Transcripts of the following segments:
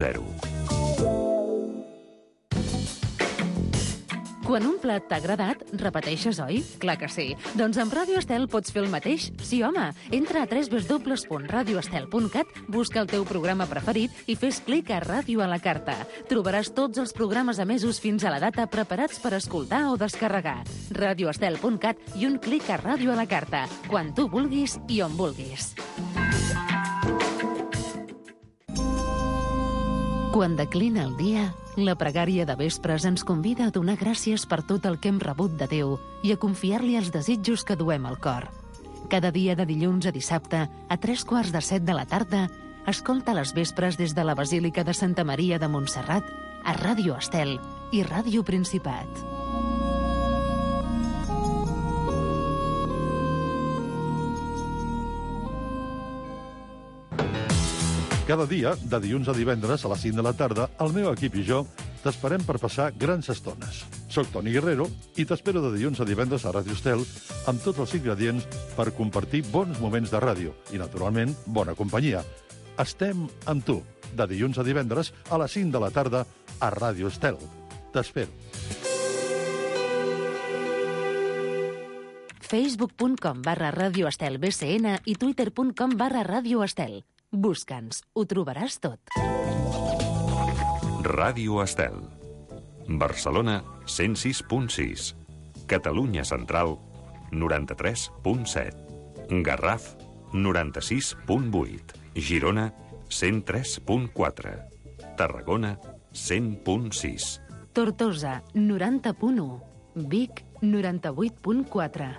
0. Quan un plat t'ha agradat, repeteixes, oi? Clar que sí. Doncs amb Ràdio Estel pots fer el mateix? Sí, home. Entra a www.radioestel.cat, busca el teu programa preferit i fes clic a Ràdio a la carta. Trobaràs tots els programes emesos fins a la data preparats per escoltar o descarregar. Radioestel.cat i un clic a Ràdio a la carta. Quan tu vulguis i on vulguis. Quan declina el dia, la pregària de vespres ens convida a donar gràcies per tot el que hem rebut de Déu i a confiar-li els desitjos que duem al cor. Cada dia de dilluns a dissabte, a 3:15 de la tarda, escolta les vespres des de la Basílica de Santa Maria de Montserrat, a Ràdio Estel i Ràdio Principat. Cada dia, de dilluns a divendres a les 5 de la tarda, el meu equip i jo t'esperem per passar grans estones. Soc Toni Guerrero i t'espero de dilluns a divendres a Ràdio Estel amb tots els ingredients per compartir bons moments de ràdio i, naturalment, bona companyia. Estem amb tu, de dilluns a divendres a les 5 de la tarda a Ràdio Estel. T'espero. Facebook.com/radioestelbcn i Twitter.com/radioestel. Busca'ns, ho trobaràs tot. Ràdio Estel. Barcelona, 106.6. Catalunya Central, 93.7. Garraf, 96.8. Girona, 103.4. Tarragona, 100.6. Tortosa, 90.1. Vic, 98.4.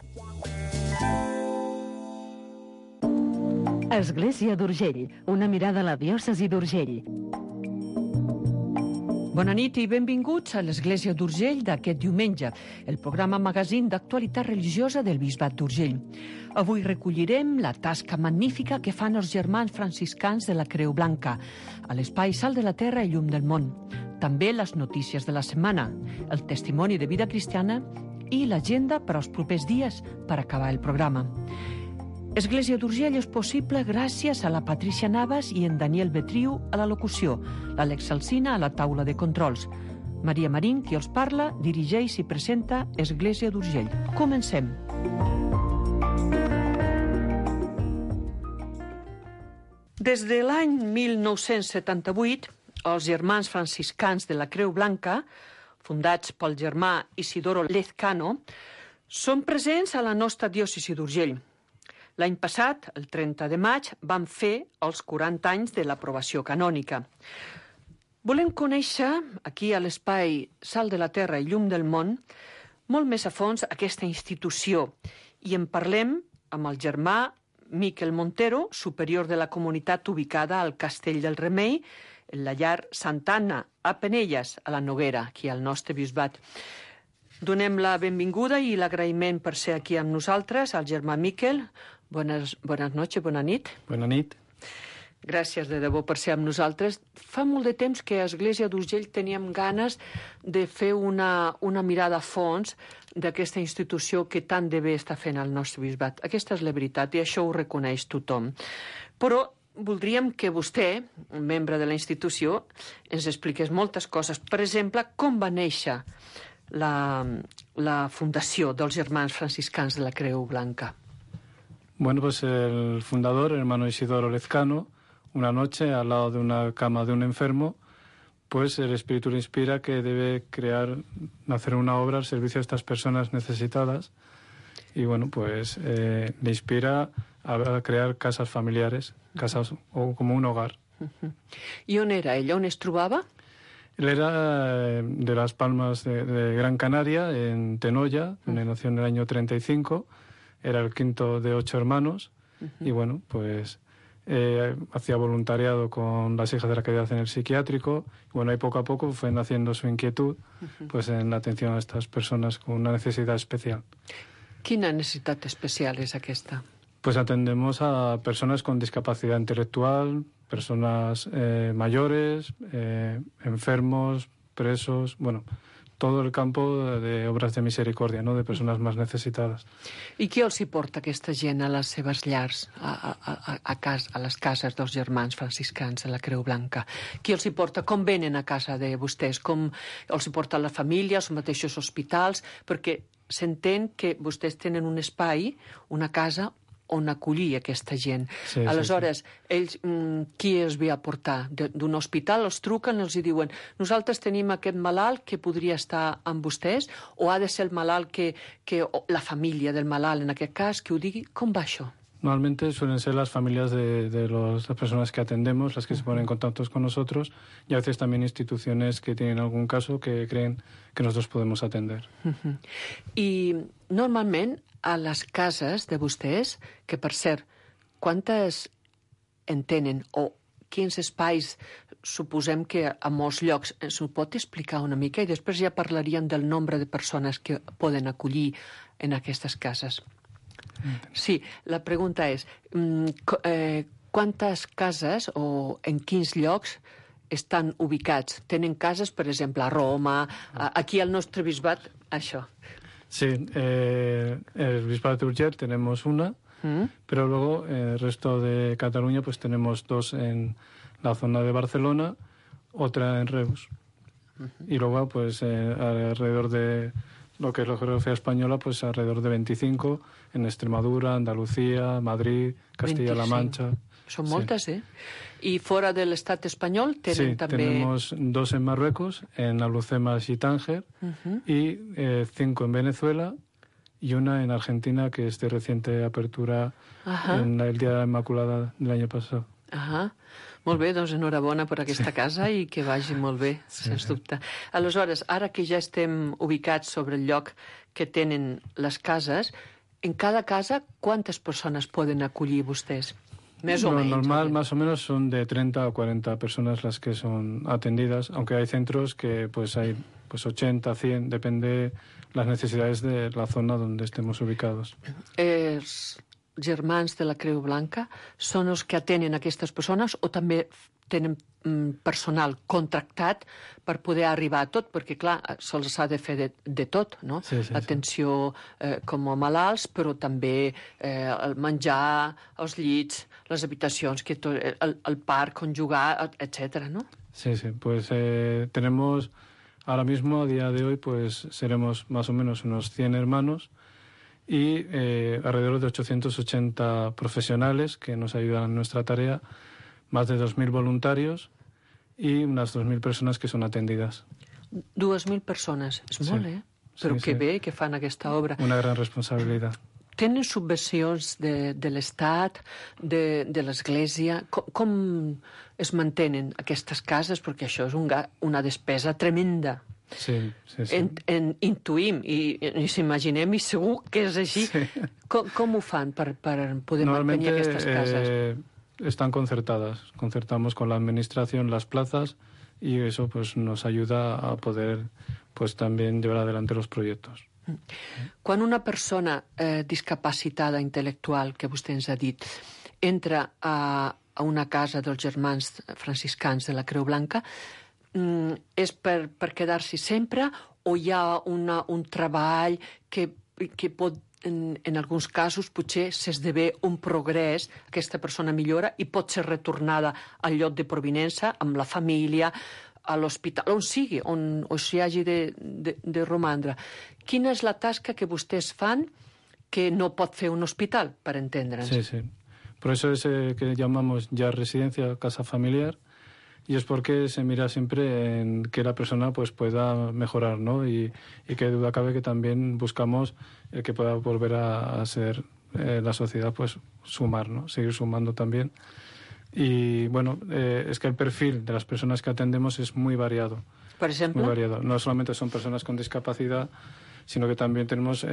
Església d'Urgell, una mirada a la diòcesi d'Urgell. Bona nit i benvinguts a l'Església d'Urgell d'aquest diumenge, el programa magazín d'actualitat religiosa del Bisbat d'Urgell. Avui recollirem la tasca magnífica que fan els germans franciscans de la Creu Blanca, a l'espai Sal de la Terra i Llum del Món. També les notícies de la setmana, el testimoni de vida cristiana i l'agenda per als propers dies per acabar el programa. Església d'Urgell és possible gràcies a la Patricia Navas i en Daniel Betriu a la locució, l'Àlex Alsina a la taula de controls. Maria Marín, qui els parla, dirigeix i presenta Església d'Urgell. Comencem. Des de l'any 1978, els germans franciscans de la Creu Blanca, fundats pel germà Isidoro Lezcano, són presents a la nostra diòcesi d'Urgell. L'any passat, el 30 de maig, van fer els 40 anys de l'aprovació canònica. Volem conèixer, aquí a l'espai Sal de la Terra i Llum del Món, molt més a fons aquesta institució i en parlem amb el germà Miquel Montero, superior de la comunitat ubicada al Castell del Remei, en la llar Santa Anna, a Penelles, a la Noguera, aquí al nostre bisbat. Donem la benvinguda i l'agraïment per ser aquí amb nosaltres al germà Miquel. Buenas noches, bona nit. Bona nit. Gràcies de debò per ser amb nosaltres. Fa molt de temps que a Església d'Urgell teníem ganes de fer una mirada a fons d'aquesta institució que tant de bé està fent el nostre bisbat. Aquesta és la veritat i això ho reconeix tothom. Però voldríem que vostè, un membre de la institució, ens expliqués moltes coses. Per exemple, com va néixer la fundació dels germans franciscans de la Creu Blanca. Bueno, pues el fundador, el hermano Isidoro Lezcano, una noche al lado de una cama de un enfermo, pues el Espíritu le inspira que debe hacer una obra al servicio de estas personas necesitadas y bueno, pues le inspira a crear casas familiares, casas o como un hogar. I on era ell? On es trobava? Él era de Las Palmas de Gran Canaria, en Tenoya, donde nació en el año 35, era el quinto de 8 hermanos, y bueno, pues hacía voluntariado con las hijas de la caridad en el psiquiátrico, y bueno, ahí poco a poco fue naciendo su inquietud, pues en la atención a estas personas con una necesidad especial. Quina necessitat especial és aquesta? Pues atendemos a personas con discapacidad intelectual, personas mayores, enfermos, presos, bueno, todo el campo de obras de misericordia, ¿no? De personas más necesitadas. I qui els hi porta aquesta gent a les seves llars, a les cases dels germans franciscans de la Creu Blanca? Qui els hi porta? Com venen a casa de vostès? Com els hi porta la família, els mateixos hospitals? Perquè s'entén que vostès tenen un espai, una casa, on acollir aquesta gent. Sí, Aleshores, ells, qui els ve a portar? D'un hospital els truquen, els hi diuen nosaltres tenim aquest malalt que podria estar amb vostès, o ha de ser el malalt o la família del malalt, en aquest cas, que ho digui? Com va això? Normalmente suelen ser las familias de las personas que atendemos las que se ponen en contacto con nosotros, y a veces también instituciones que tienen algún caso que creen que nosotros podemos atender. I normalment a les cases de vostès, que per cert, quantes en tenen o quins espais suposem que a molts llocs ens ho pot explicar una mica i després ja parlaríem del nombre de persones que poden acollir en aquestes cases. Sí, la pregunta és quantes cases o en quins llocs estan ubicats? Tenen cases, per exemple, a Roma, aquí al nostre bisbat, això. Sí, el Bisbado de Urgell tenemos una, pero luego el resto de Cataluña pues tenemos dos en la zona de Barcelona, otra en Reus. Y luego pues alrededor de lo que es la geografía española, pues alrededor de 25 en Extremadura, Andalucía, Madrid, Castilla-La Mancha. Són moltes, sí. I fora de l'estat espanyol tenen també... Sí, tenemos 2 en Marruecos, en Alhucemas y Tánger, y 5 en Venezuela y una en Argentina, que es de reciente apertura en el Día de la Inmaculada del año pasado. Molt bé, doncs enhorabona per aquesta casa i que vagi molt bé, sens dubte. Aleshores, ara que ja estem ubicats sobre el lloc que tenen les cases, en cada casa quantes persones poden acollir vostès? Més o menys. Normal, más o menos, son de 30 o 40 personas las que son atendidas, aunque hay centros que pues hay 80, 100, depende las necesidades de la zona donde estemos ubicados. Els germans de la Creu Blanca són els que atenen aquestes persones o també tenen personal contractat per poder arribar a tot, perquè, clar, se'ls ha de fer de tot, no? Sí. Atenció com a malalts, però també el menjar, els llits, les habitacions, el parc on jugar, etc., ¿no? Sí, pues tenemos ahora mismo, a día de hoy, pues seremos más o menos unos 100 hermanos y alrededor de 880 profesionales que nos ayudan en nuestra tarea, más de 2.000 voluntarios y unas 2.000 personas que son atendidas. 2.000 persones, és molt, Però que bé que fan aquesta obra. Una gran responsabilitat. Tenen subvencions de l'Estat, de l'Església? Com es mantenen aquestes cases? Perquè això és una despesa tremenda. Sí. Intuïm i s'imaginem, i segur que és així. Com ho fan per poder mantenir aquestes cases? Están concertamos con la administración las plazas y eso pues nos ayuda a poder pues también llevar adelante los proyectos. Quan una persona discapacitada intel·lectual, que vostè ens ha dit, entra a una casa dels germans franciscans de la Creu Blanca, és per quedar-s'hi sempre o hi ha un treball que pot, en alguns casos, potser s'esdevé un progrés, aquesta persona millora i pot ser retornada al lloc de provinença, amb la família, a l'hospital, on sigui, on s'hi hagi de romandre. Quina és la tasca que vostès fan que no pot fer un hospital, per entendre'ns? Sí. Por eso es que llamamos ya residencia, casa familiar, y es porque se mira siempre en que la persona pues pueda mejorar, ¿no? Y que duda cabe que también buscamos que pueda volver a ser la sociedad, pues sumar, ¿no? Seguir sumando también. Y bueno, es que el perfil de las personas que atendemos es muy variado. Por ejemplo, muy variado. No solamente son personas con discapacidad, sino que también tenemos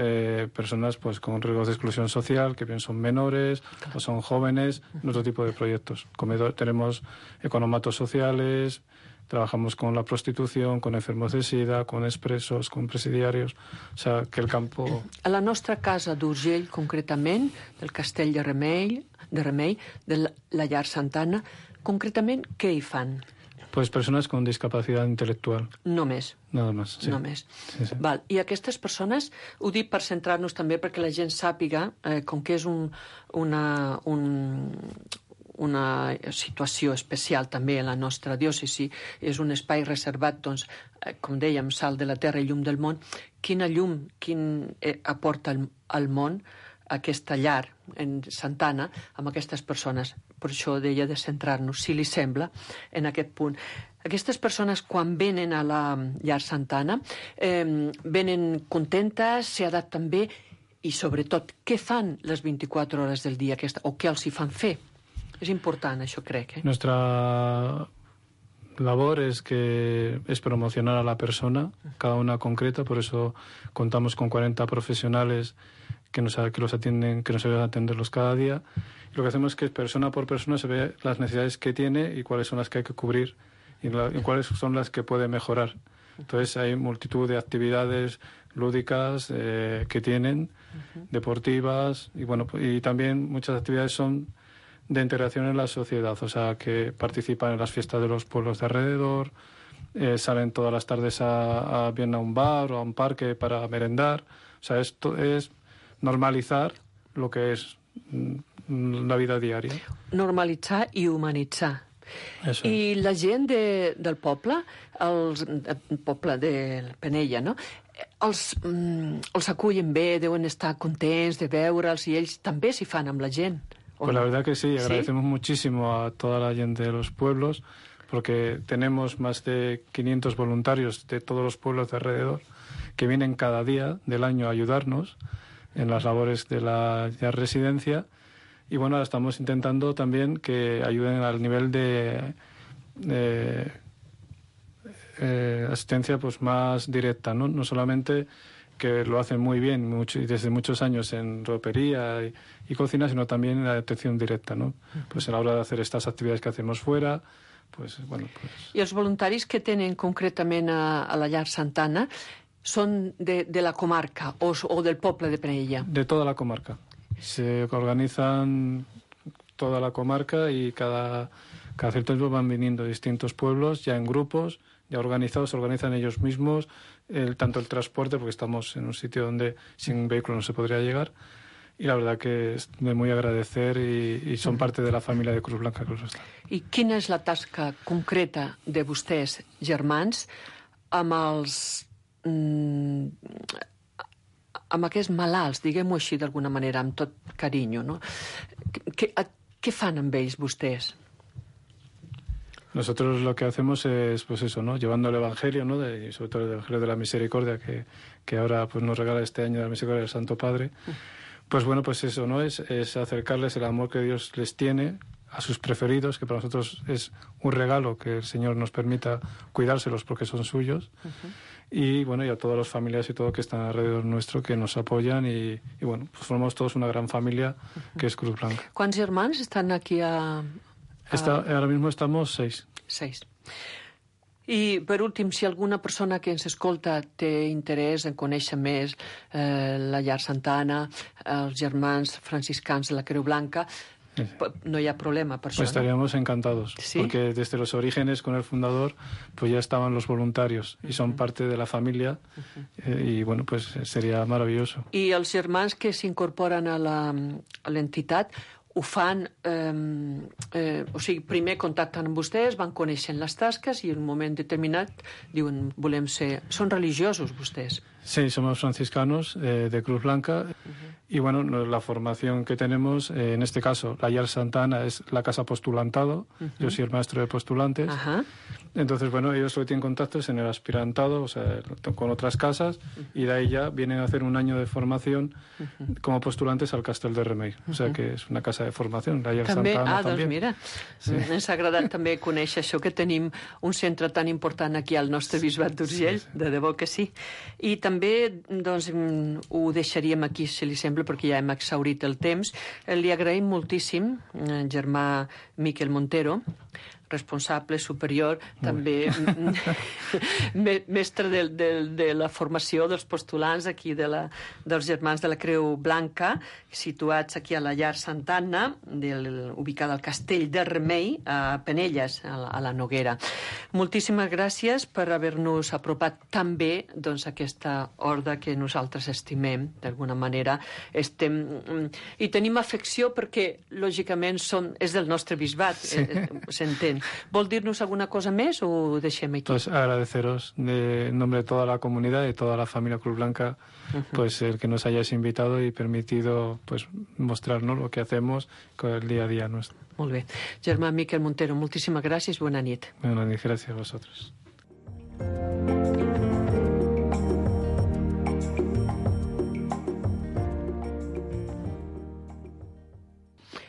personas pues con riesgos de exclusión social, que bien son menores o son jóvenes, en otro tipo de proyectos. Tenemos economatos sociales, trabajamos con la prostitución, con enfermos de sida, con expresos, con presidiarios, o sea, que el campo... A la nostra casa d'Urgell, concretament, del Castell de Remei, de la Llar Santana, concretament, què hi fan? Pues personas con discapacidad intelectual. Només. Nada más, sí. Només. Sí, sí. Val. I aquestes persones, ho dic per centrar-nos també perquè la gent sàpiga, com que és una situació especial també a la nostra diòcesi, és un espai reservat, doncs, com dèiem, sal de la terra i llum del món, quina llum aporta al món aquesta llar en Santa Anna amb aquestes persones. Per això deia de centrar-nos, si li sembla, en aquest punt. Aquestes persones, quan venen a la llar Santa Anna, venen contentes, s'adapten bé i, sobretot, què fan les 24 hores del dia o què els hi fan fer? És important, això crec. Nuestra labor es promocionar a la persona, cada una concreta, por eso contamos con 40 profesionales que nos atienden, que nos ayudan a atenderlos cada día. Y lo que hacemos es que persona por persona se ve las necesidades que tiene y cuáles son las que hay que cubrir y cuáles son las que puede mejorar. Entonces hay multitud de actividades lúdicas que tienen, deportivas, y bueno, y también muchas actividades son de integración en la sociedad, o sea, que participan en las fiestas de los pueblos de alrededor, salen todas las tardes bien a un bar o a un parque para merendar. O sea, esto es normalitzar lo que és la vida diària. Normalitzar i humanitzar. Eso I la gent del poble, el poble de Penella, no? Els acullen bé, deuen estar contents de veure'ls i ells també s'hi fan amb la gent. Pues la verdad que sí, agradecemos muchísimo a toda la gente de los pueblos porque tenemos más de 500 voluntarios de todos los pueblos de alrededor que vienen cada día del año a ayudarnos en las labores de la residencia y bueno, ahora estamos intentando también que ayuden al nivel de asistencia pues más directa, ¿no? No solamente que lo hacen muy bien y desde muchos años en ropería y cocina, sino también en la atención directa, ¿no? Pues a la hora de hacer estas actividades que hacemos fuera, pues bueno... Pues... I els voluntaris que tenen concretament a la llar Santa Anna són de la comarca o del poble de Penella? De toda la comarca. Se organizan toda la comarca y cada cierto tiempo van viniendo distintos pueblos ya en grupos, ya organizados, se organizan ellos mismos, tanto el transporte, porque estamos en un sitio donde sin vehículo no se podría llegar, y la verdad que es de muy agradecer y son parte de la familia de Cruz Blanca Cruz Hostal. I quina és la tasca concreta de vostès, germans, amb aquests malalts, diguem-ho així d'alguna manera, amb tot carinyo, no? Què fan amb ells vostès? Nosotros lo que hacemos es, pues eso, ¿no? Llevando el Evangelio, ¿no? Y sobre todo el Evangelio de la Misericordia, que ahora pues nos regala este año la Misericordia del Santo Padre. Pues bueno, pues eso, ¿no? Es acercarles el amor que Dios les tiene a sus preferidos, que para nosotros es un regalo que el Señor nos permita cuidárselos porque son suyos. Y bueno, y a todas las familias y todo que están alrededor nuestro, que nos apoyan y bueno, pues formamos todos una gran familia que es Cruz Blanca. Quants germans estan aquí Ahora mismo estamos 6. 6. I, per últim, si alguna persona que ens escolta té interès en conèixer més la llar Santa Anna, els germans franciscans de la Creu Blanca, no hi ha problema per això, pues estaríamos encantados, ¿sí? Porque desde los orígenes con el fundador pues ya estaban los voluntarios y son parte de la familia y bueno, pues sería maravilloso. I els germans que s'incorporen a l'entitat ho fan, o sigui, primer contacten amb vostès, van coneixent les tasques i en un moment determinat diuen, volem ser... Són religiosos, vostès? Sí, somos franciscanos de Cruz Blanca y bueno, la formación que tenemos, en este caso, la Llar Santa Anna es la casa postulantado, yo soy el maestro de postulantes, entonces bueno, ellos lo que tienen contacto es en el aspirantado, o sea, con otras casas y de ahí ya vienen a hacer un año de formación como postulantes al Castel de Remei, o sea que és una casa de formación, la Llar també, Santa Anna també. Doncs mira, sí. Ens ha agradat també conèixer això, que tenim un centre tan important aquí al nostre bisbat d'Urgell, de debò que sí. I també, doncs, ho deixaríem aquí, si li sembla, perquè ja hem exhaurit el temps. Li agraïm moltíssim, germà Miquel Montero, responsable superior, també mestre de la formació dels postulants aquí dels Germans de la Creu Blanca, situats aquí a la llar Santa Anna, ubicada al Castell de Remei, a Penelles, a la Noguera. Moltíssimes gràcies per haver-nos apropat tan bé a aquesta horda que nosaltres estimem, d'alguna manera. I tenim afecció perquè, lògicament, és del nostre bisbat, s'entén. ¿Vol dir-nos alguna cosa més o ho deixem aquí? Pues agradeceros en nombre de toda la comunidad y toda la familia Cruz Blanca pues el que nos hayáis invitado y permitido pues mostrarnos lo que hacemos con el día a día nuestro. Molt bé. Germà Miquel Montero, moltíssimes gràcies, bona nit. Buenas noches, gracias a vosotros.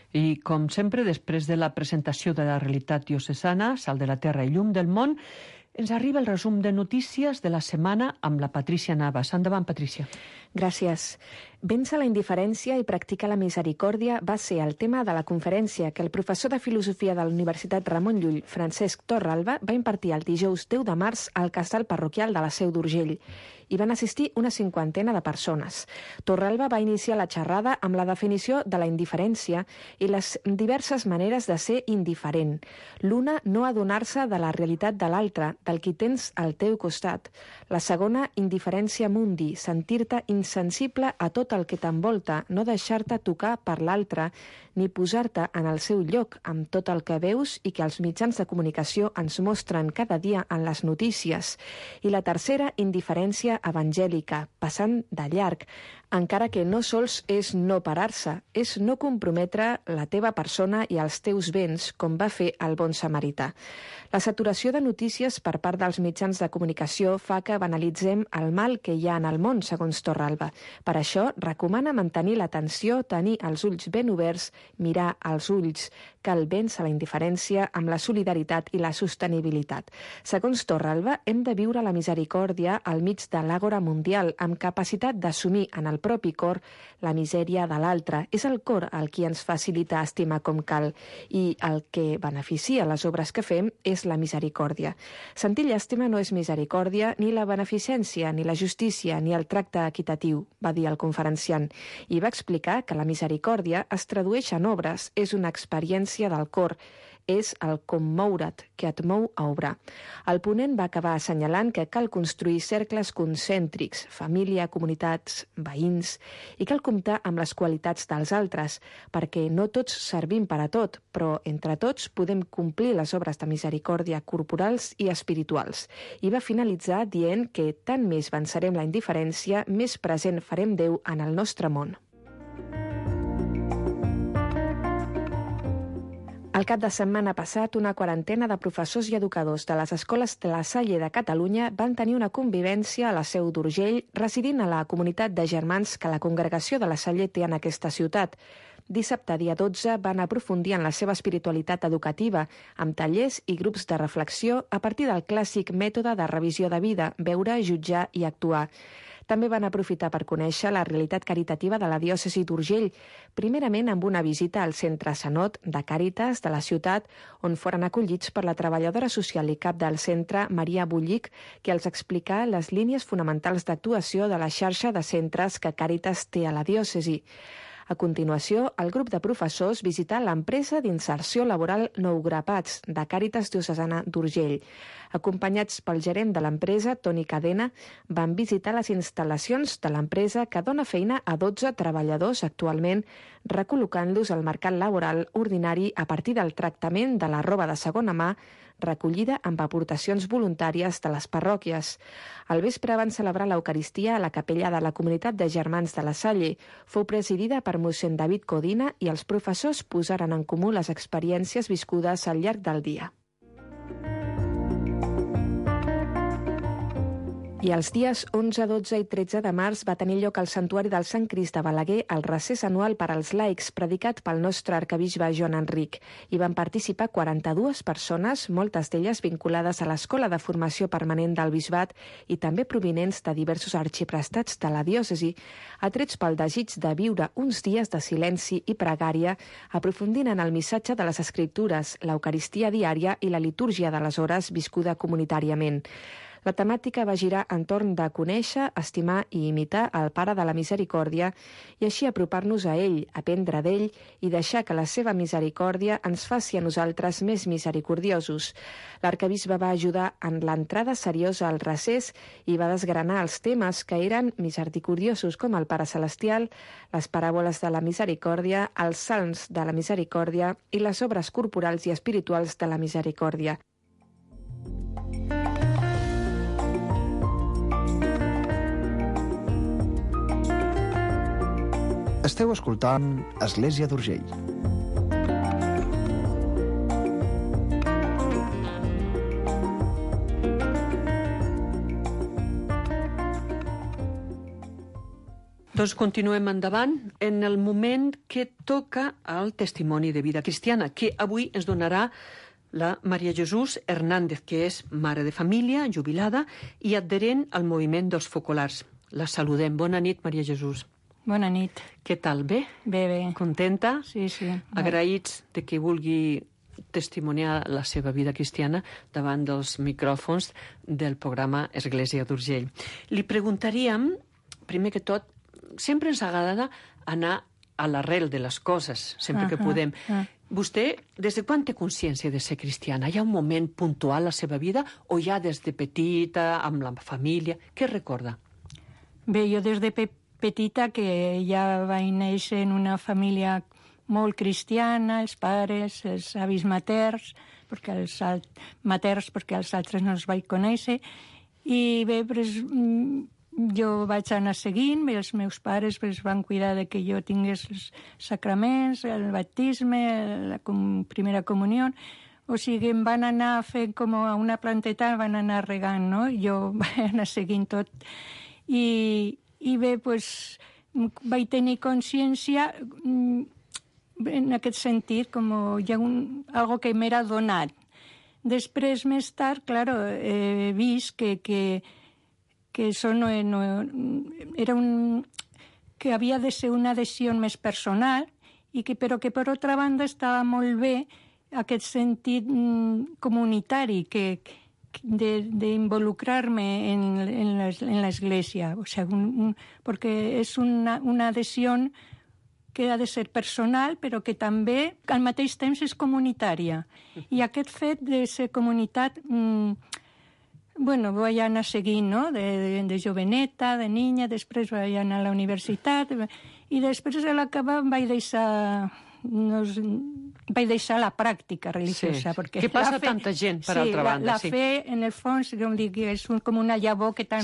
I, com sempre, després de la presentació de la realitat diocesana, Sal de la Terra i Llum del Món, ens arriba el resum de notícies de la setmana amb la Patrícia Navas. Endavant, Patrícia. Gràcies. Vèncer la indiferència i practicar la misericòrdia va ser el tema de la conferència que el professor de Filosofia de la Universitat Ramon Llull, Francesc Torralba, va impartir el dijous 10 de març al casal parroquial de la Seu d'Urgell. Hi van assistir una 50 de persones. Torralba va iniciar la xerrada amb la definició de la indiferència i les diverses maneres de ser indiferent. L'una, no adonar-se de la realitat de l'altre, del qui tens al teu costat. La segona, indiferència mundi, sentir-te insensible a tot el que t'envolta, no deixar-te tocar per l'altre, ni posar-te en el seu lloc amb tot el que veus i que els mitjans de comunicació ens mostren cada dia en les notícies. I la tercera, indiferència evangèlica, passant de llarg, encara que no sols és no parar-se, és no comprometre la teva persona i els teus béns, com va fer el bon samarità. La saturació de notícies per part dels mitjans de comunicació fa que banalitzem el mal que hi ha en el món, segons Torralba. Per això, recomana mantenir l'atenció, tenir els ulls ben oberts, mirar als ulls. Cal vèncer la indiferència amb la solidaritat i la sostenibilitat. Segons Torralba, hem de viure la misericòrdia al mig de l'àgora mundial, amb capacitat d'assumir en el propi cor la misèria de l'altre. És el cor el qui ens facilita estimar com cal i el que beneficia les obres que fem és la misericòrdia. Sentir llàstima no és misericòrdia, ni la beneficència, ni la justícia, ni el tracte equitatiu, va dir el conferenciant, i va explicar que la misericòrdia es tradueix en obres, és una experiència del cor, és el com moure't, que et mou a obrar. El ponent va acabar assenyalant que cal construir cercles concèntrics, família, comunitats, veïns, i cal comptar amb les qualitats dels altres, perquè no tots servim per a tot, però entre tots podem complir les obres de misericòrdia corporals i espirituals. I va finalitzar dient que tant més vencerem la indiferència, més present farem Déu en el nostre món. El cap de setmana passat, una quarantena de professors i educadors de les escoles de la Salle de Catalunya van tenir una convivència a la Seu d'Urgell, residint a la comunitat de germans que la congregació de la Salle té en aquesta ciutat. Dissabte, dia 12, van aprofundir en la seva espiritualitat educativa, amb tallers i grups de reflexió a partir del clàssic mètode de revisió de vida, veure, jutjar i actuar. També van aprofitar per conèixer la realitat caritativa de la diòcesi d'Urgell, primerament amb una visita al centre Sanot de Càritas de la ciutat, on foren acollits per la treballadora social i cap del centre, Maria Bullic, que els explicà les línies fonamentals d'actuació de la xarxa de centres que Càritas té a la diòcesi. A continuació, el grup de professors visità l'empresa d'inserció laboral Nou Grapats, de Càritas Diocesana d'Urgell. Acompanyats pel gerent de l'empresa, Toni Cadena, van visitar les instal·lacions de l'empresa que dona feina a 12 treballadors actualment, recol·locant-los al mercat laboral ordinari a partir del tractament de la roba de segona mà recollida amb aportacions voluntàries de les parròquies. Al vespre van celebrar l'Eucaristia a la capella de la comunitat de germans de la Salle. Fou presidida per mossèn David Codina i els professors posaren en comú les experiències viscudes al llarg del dia. I els dies 11, 12 i 13 de març va tenir lloc al Santuari del Sant Crist de Balaguer el recés anual per als laics predicat pel nostre arquebisbe Joan Enric. Hi van participar 42 persones, moltes d'elles vinculades a l'Escola de Formació Permanent del Bisbat i també provinents de diversos arxiprestats de la diòcesi, atrets pel desig de viure uns dies de silenci i pregària, aprofundint en el missatge de les Escriptures, l'Eucaristia diària i la litúrgia de les hores viscuda comunitàriament. La temàtica va girar entorn de conèixer, estimar i imitar el Pare de la Misericòrdia i així apropar-nos a ell, aprendre d'ell i deixar que la seva misericòrdia ens faci a nosaltres més misericordiosos. L'arquebisbe va ajudar en l'entrada seriosa al recés i va desgranar els temes que eren misericordiosos com el Pare Celestial, les paràboles de la misericòrdia, els salms de la misericòrdia i les obres corporals i espirituals de la misericòrdia. Esteu escoltant Església d'Urgell. Doncs continuem endavant en el moment que toca al testimoni de vida cristiana, que avui ens donarà la Maria Jesús Hernández, que és mare de família, jubilada i adherent al moviment dels focolars. La saludem. Bona nit, Maria Jesús. Bona nit. Què tal? Bé? Bé, bé. Contenta? Sí, sí. Agraïts de que vulgui testimoniar la seva vida cristiana davant dels micròfons del programa Església d'Urgell. Li preguntaríem, primer que tot, sempre ens agrada anar a l'arrel de les coses, sempre que podem. Vostè, des de quan té consciència de ser cristiana? Hi ha un moment puntual a la seva vida o ja des de petita, amb la família? Què recorda? Bé, jo des de petita, que ja vaig néixer en una família molt cristiana, els pares, els avis materns, perquè els altres no els vaig conèixer, i bé, jo vaig anar seguint, els meus pares van cuidar de que jo tingués els sacraments, el baptisme, la primera comunió, o sigui, em van anar fent com a una planteta, van anar regant, no? Jo vaig anar seguint tot. I bé, doncs, vaig tenir consciència en aquest sentit, com hi ha algo que m'era donat. Després, més tard, claro, he vist que això no era que havia de ser una adhesió més personal, però que, per altra banda, estava molt bé aquest sentit comunitari, d'involucrar-me en l'església, o sigui, perquè és una adhesió que ha de ser personal, però que també al mateix temps és comunitària. I aquest fet de ser comunitat, vaig anar seguint, no?, de joveneta, de niña, després vaig anar a la universitat, i després a l'acabar vaig deixar la pràctica religiosa. Sí. Què passa tanta gent, per altra banda? La fe, en el fons, com dic, és com una llavor que t'han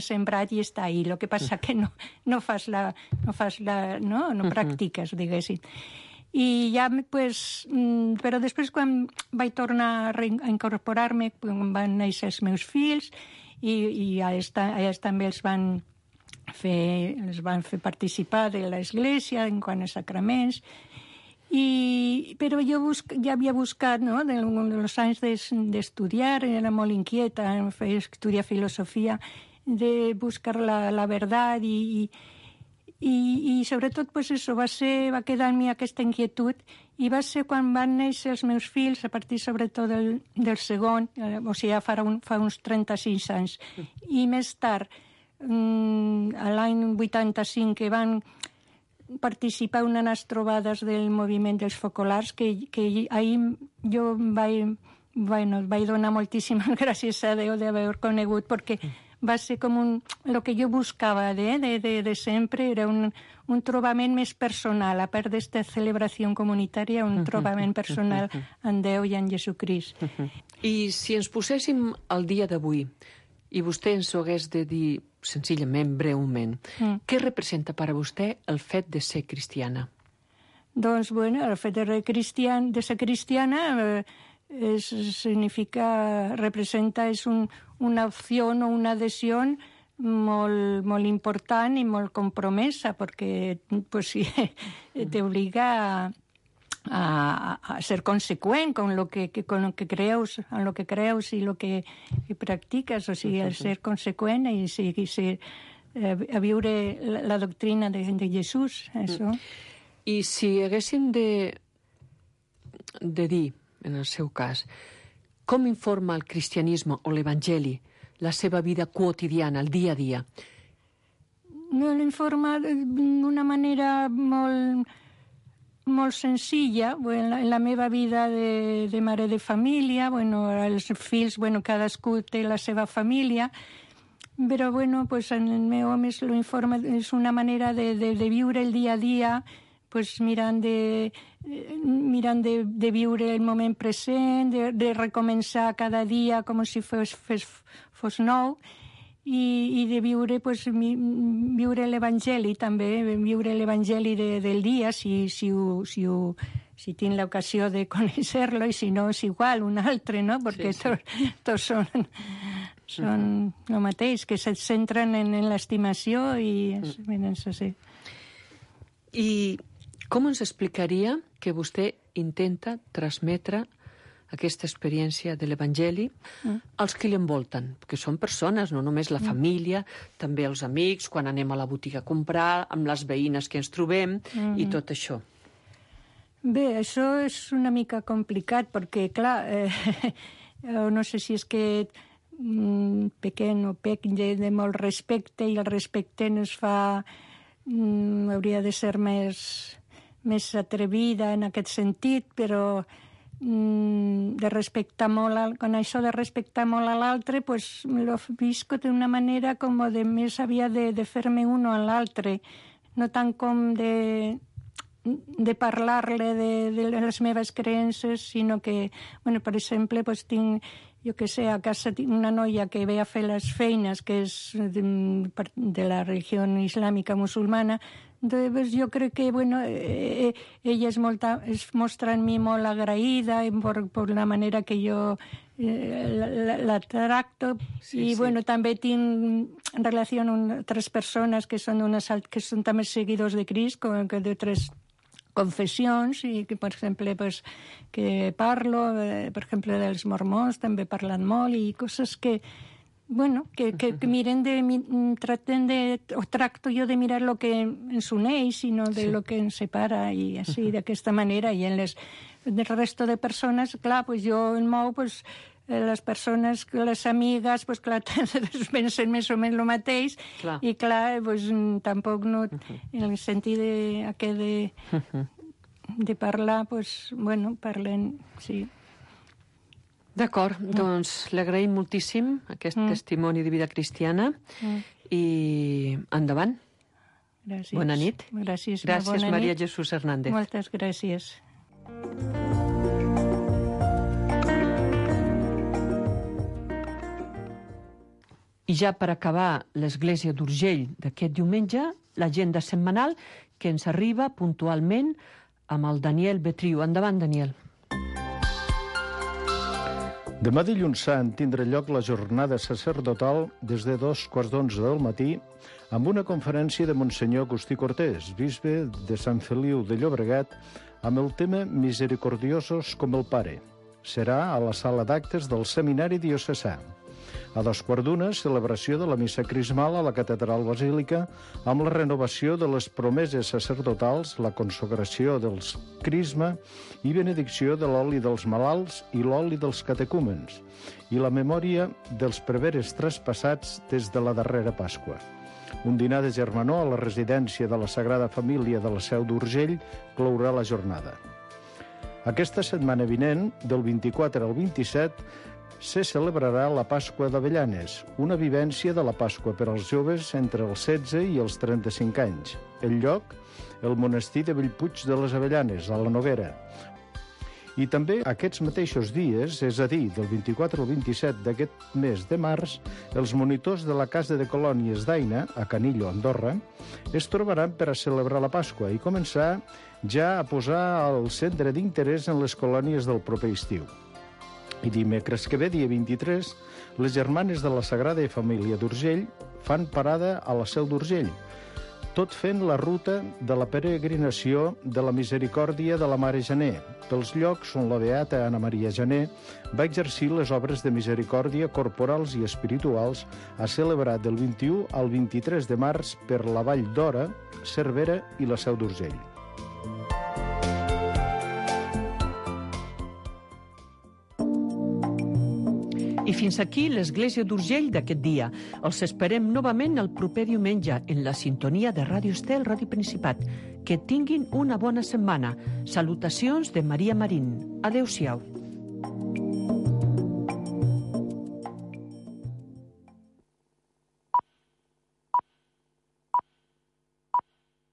sembrat i està ahí. El que passa que no practiques, diguéssim. I ja, però després, quan vaig tornar a incorporar-me, quan van néixer els meus fills, i a ells també els van fer participar de l'església en quant a sacraments, però jo ja havia buscat, no?, dels anys d'estudiar, era molt inquieta, estudiar filosofia, de buscar la verdad i sobretot, pues això, va quedar en mi aquesta inquietud, i va ser quan van néixer els meus fills, a partir sobretot del segon, o sigui, fa uns 36 anys, i més tard, a l'any 85, que van participar en unes trobades del moviment dels focolars, que ahir jo vaig donar moltíssimes gràcies a Déu d'haver conegut, perquè va ser com el que jo buscava de sempre, era un trobament més personal, a part d'esta celebració comunitària, un trobament personal en Déu i en Jesucrist. I si ens poséssim al dia d'avui, i vostè ens ho hagués de dir senzillament, breument, què representa per a vostè el fet de ser cristiana? Doncs, el fet de ser cristiana representa una opció o una adhesió molt important i molt compromesa, perquè pues, sí, t'obliga a ser consecuent con lo que creus, en lo que creus i lo que practiques, o sigui, a ser consecuent i a viure la doctrina de Jesús, això. I si haguéssim de dir, en el seu cas, com informa el cristianisme o l'Evangeli la seva vida quotidiana, el dia a dia? No, l'informa d'una manera molt senzilla. Bueno, en la meva vida de mare de família, bueno, els fills, bueno, cadascú té la seva família, però bueno, pues en el meu home lo informa, és una manera de viure el dia a dia, pues mirant de viure el moment present, de recomençar cada dia com si fos nou, i de viure, pues, viure l'Evangeli també, viure l'Evangeli del dia, si tinc l'ocasió de conèixer-lo, i si no és igual, un altre, no? Perquè tots són el mateix, que se centren en l'estimació i en això, sí. I com ens explicaria que vostè intenta transmetre aquesta experiència de l'Evangeli als que l'envolten? Perquè són persones, no només la família, també els amics, quan anem a la botiga a comprar, amb les veïnes que ens trobem i tot això. Bé, això és una mica complicat perquè, clar, no sé si és que pequem o pec de molt respecte i el respecte no es fa... hauria de ser més atrevida en aquest sentit, però de respectar molt, con això de respectar molt a l'altre, pues lo visco d'una manera com de més aviat de fer-me uno a l'altre, no tant com de parlar-le de les meves creences, sinó que, bueno, per exemple, pues tinc, jo que sé, a casa tinc una noia que ve a fer les feines, que és de la religió islàmica musulmana. Entonces, jo crec que, bueno, ella es mostra en mi molt agraïda por la manera que jo la tracto. I, bueno, també tinc relació amb altres persones que són també seguidors de Crist, com que d'altres confessions, i que, per exemple, pues, que parlo, per exemple, dels mormons, també he parlat molt, i coses que, bueno, que miren o tracto jo de mirar el que ens uneix i no de lo que ens separa, i així, d'aquesta manera. I en el resto de persones, clar, pues jo el mou, pues, les persones, les amigues, pues, clar, pensen més o menys el mateix, clar. I clar, pues, tampoc no, en el sentit de parlar, pues, bueno, parlen, sí. D'acord, doncs l'agraïm moltíssim, aquest testimoni de vida cristiana, i endavant. Gràcies. Bona nit. Gràcies, bona Maria nit. Jesús Hernández. Moltes gràcies. I ja per acabar l'Església d'Urgell d'aquest diumenge, l'agenda setmanal que ens arriba puntualment amb el Daniel Betriu. Endavant, Daniel. Demà dilluns sant tindrà lloc la jornada sacerdotal des de 2:15 del matí amb una conferència de Monsenyor Agustí Cortés, bisbe de Sant Feliu de Llobregat, amb el tema Misericordiosos com el Pare. Serà a la sala d'actes del Seminari Diocesà. A 2:15, celebració de la missa crismal a la Catedral Basílica amb la renovació de les promeses sacerdotals, la consagració dels crisma i benedicció de l'oli dels malalts i l'oli dels catecúmens i la memòria dels preveres traspassats des de la darrera Pasqua. Un dinar de germanor a la residència de la Sagrada Família de la Seu d'Urgell clourà la jornada. Aquesta setmana vinent, del 24 al 27, se celebrarà la Pasqua d'Avellanes, una vivència de la Pasqua per als joves entre els 16 i els 35 anys. El lloc, el monestir de Bellpuig de les Avellanes, a la Noguera. I també aquests mateixos dies, és a dir, del 24 al 27 d'aquest mes de març, els monitors de la Casa de Colònies d'Aina, a Canillo, Andorra, es trobaran per a celebrar la Pasqua i començar ja a posar el centre d'interès en les colònies del proper estiu. I dimecres que ve, dia 23, les germanes de la Sagrada Família d'Urgell fan parada a la Seu d'Urgell, tot fent la ruta de la peregrinació de la Misericòrdia de la Mare Janer, pels llocs on la beata Anna Maria Janer va exercir les obres de misericòrdia corporals i espirituals, a celebrar del 21 al 23 de març per la Vall d'Ora, Cervera i la Seu d'Urgell. I fins aquí l'Església d'Urgell d'aquest dia. Els esperem novament el proper diumenge en la sintonia de Ràdio Estel, Ràdio Principat. Que tinguin una bona setmana. Salutacions de Maria Marín. Adéu-siau.